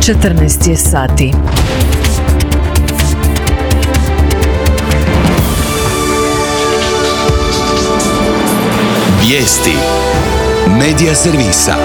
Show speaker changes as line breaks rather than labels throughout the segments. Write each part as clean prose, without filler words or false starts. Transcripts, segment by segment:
14 je sati.
Vijesti Medija servisa.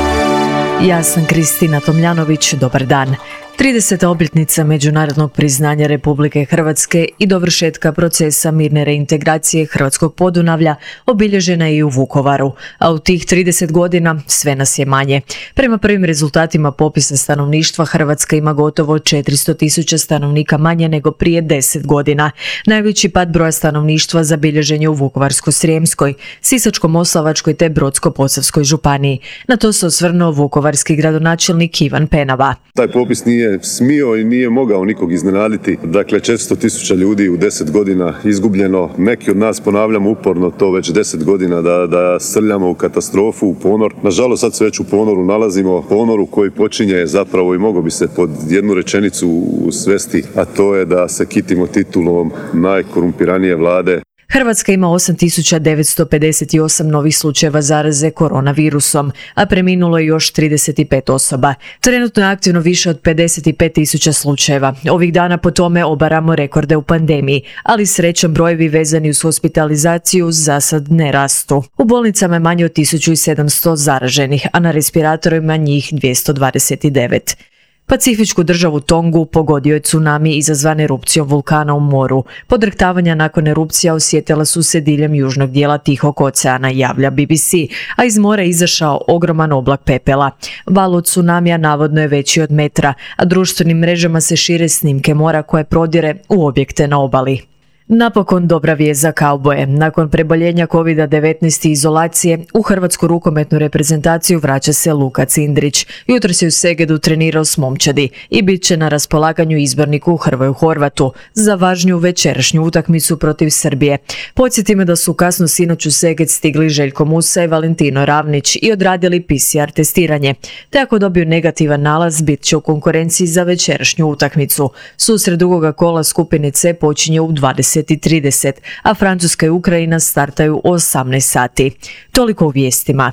Ja sam Kristina Tomljanović, dobar dan. 30. obljetnica međunarodnog priznanja Republike Hrvatske i dovršetka procesa mirne reintegracije Hrvatskog Podunavlja obilježena je i u Vukovaru, a u tih 30 godina sve nas je manje. Prema prvim rezultatima popisa stanovništva, Hrvatska ima gotovo 400.000 stanovnika manje nego prije 10 godina. Najveći pad broja stanovništva zabilježen je u Vukovarsko-srijemskoj, Sisačko-moslavačkoj te Brodsko-posavskoj županiji. Na to se osvrnuo vukovarski gradonačelnik Ivan Penava.
Taj popis nije smio i nije mogao nikog iznenaditi. Dakle, 400.000 ljudi u 10 godina izgubljeno. Neki od nas ponavljamo uporno to već 10 godina da srljamo u katastrofu, u ponor. Nažalost, sad se već u ponoru nalazimo. Ponoru koji počinje zapravo i mogao bi se pod jednu rečenicu svesti, a to je da se kitimo titulom najkorumpiranije vlade.
Hrvatska ima 8.958 novih slučajeva zaraze koronavirusom, a preminulo je još 35 osoba. Trenutno je aktivno više od 55.000 slučajeva. Ovih dana po tome obaramo rekorde u pandemiji, ali srećom brojevi vezani uz hospitalizaciju za sad ne rastu. U bolnicama je manje od 1.700 zaraženih, a na respiratorima njih 229. Pacifičku državu Tongu pogodio je tsunami izazvan erupcijom vulkana u moru. Podrhtavanja nakon erupcija osjetila su se diljem južnog dijela Tihog oceana, javlja BBC, a iz mora je izašao ogroman oblak pepela. Val od tsunamija navodno je veći od metra, a društvenim mrežama se šire snimke mora koje prodire u objekte na obali. Napokon dobra vijest za kauboje. Nakon preboljenja COVID-19 i izolacije, u hrvatsku rukometnu reprezentaciju vraća se Luka Cindrić. Jutros je u Segedu trenirao s momčadi i bit će na raspolaganju izborniku Hrvoju Horvatu za važniju večerašnju utakmicu protiv Srbije. Podsjetimo da su kasno sinoć u Seged stigli Željko Musa i Valentino Ravnić i odradili PCR testiranje. Te ako dobiju negativan nalaz, bit će u konkurenciji za večerašnju utakmicu. Susret drugog kola skupine C počinje u 20:30, a Francuska i Ukrajina startaju u 18 sati. Toliko u vijestima.